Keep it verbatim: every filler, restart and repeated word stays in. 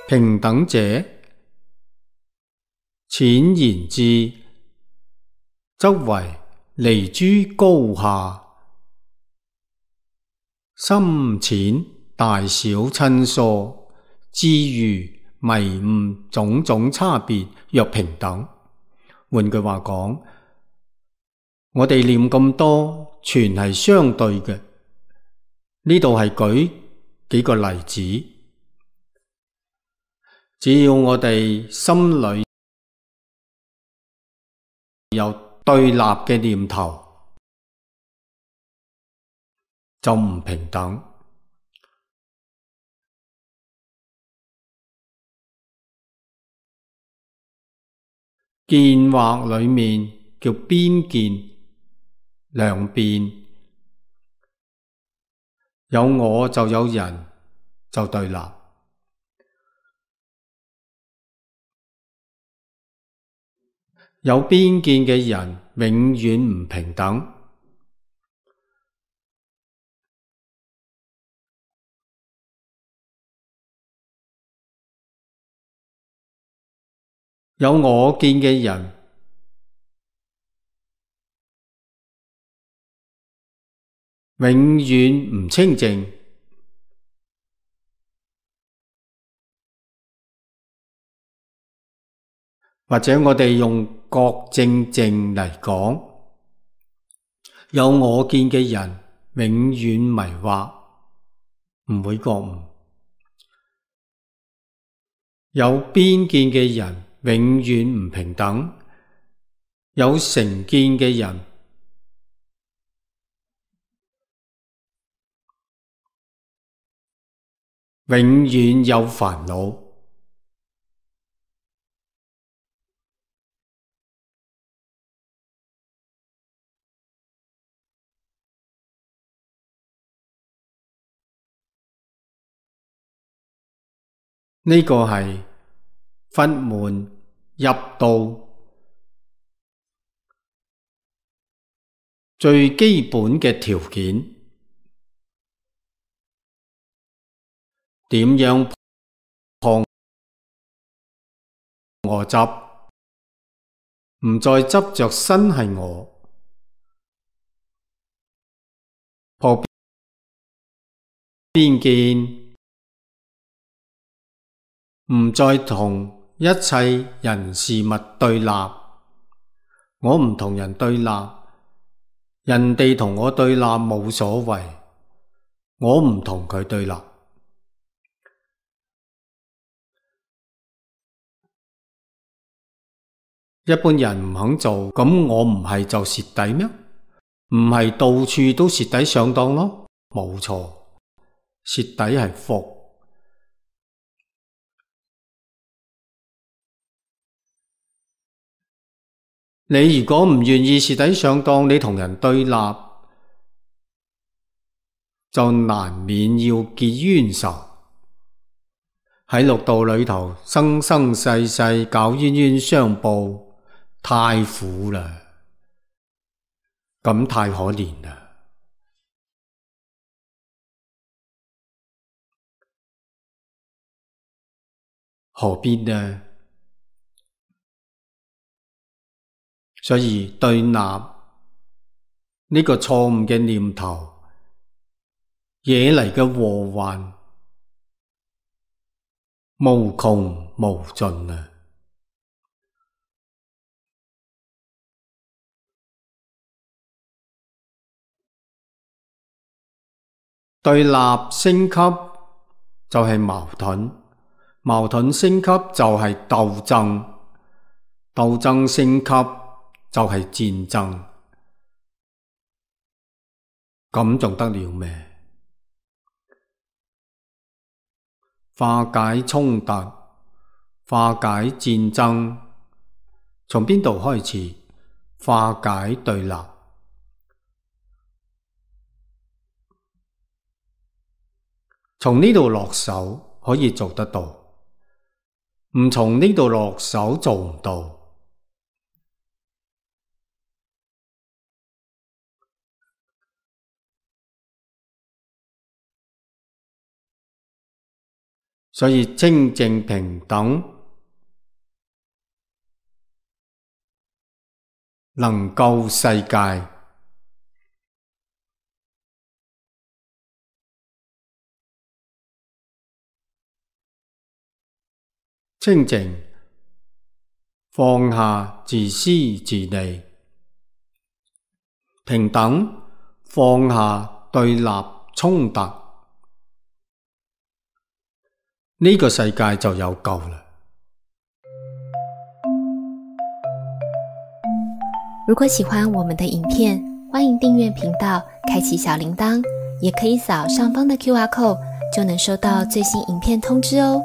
平等者，淺言之，則為離諸高下，深淺大小親疏，智愚迷誤種種差別，若平等。換句話講，我哋念咁多，全係相對嘅。呢度係舉幾個例子，只要我哋心裏有對立嘅念頭，就唔平等。見惑裏面叫邊見，兩邊，有我就有人，就對立。有邊見嘅人永遠唔平等。有我見嘅人永遠唔清淨。或者我哋用覺正淨嚟講，有我見嘅人永遠迷惑，唔會覺悟。有邊見嘅人永遠唔平等，有成見嘅人永遠有煩惱。呢個係佛門入道最基本嘅條件。點樣破我執，唔再執着身係我，破邊見，唔再同一切人事物對立。我唔同人對立，人哋同我對立冇所謂，我唔同佢對立。一般人唔肯做，咁我唔係就蝕底咩？唔係到處都蝕底上當咯？冇錯，蝕底係福。你如果唔願意蝕底上當，你同人對立，就難免要結冤仇。喺六道裏頭生生世世搞冤冤相報，太苦啦，咁太可憐啦，何必呢？所以對立呢個錯誤嘅念頭惹嚟嘅禍患無窮無盡啊！對立升級就係矛盾，矛盾升級就係鬥爭，鬥爭升級就係戰爭，咁仲得了咩？化解衝突，化解戰爭，從邊度開始？化解對立。從呢度落手可以做得到，唔從呢度落手做唔到。所以清淨平等能救世界。清淨放下自私自利，平等放下對立衝突，呢個世界就有救啦。如果喜歡我們的影片，歡迎訂閱頻道，開啟小鈴鐺，也可以掃上方的 Q R code，就能收到最新影片通知哦。